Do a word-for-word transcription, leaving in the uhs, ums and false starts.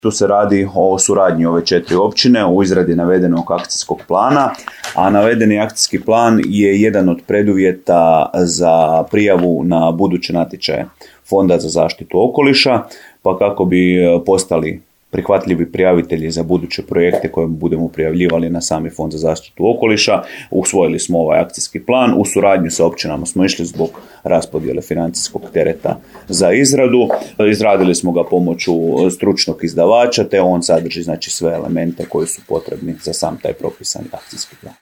Tu se radi o suradnji ove četiri općine u izradi navedenog akcijskog plana, a navedeni akcijski plan je jedan od preduvjeta za prijavu na buduće natječaje Fonda za zaštitu okoliša, pa kako bi postali prihvatljivi prijavitelji za buduće projekte koje budemo prijavljivali na sami Fond za zaštitu okoliša, usvojili smo ovaj akcijski plan. U suradnju sa općinama smo išli zbog raspodjele financijskog tereta za izradu. Izradili smo ga pomoću stručnog izdavača, te on sadrži znači sve elemente koji su potrebni za sam taj propisani akcijski plan.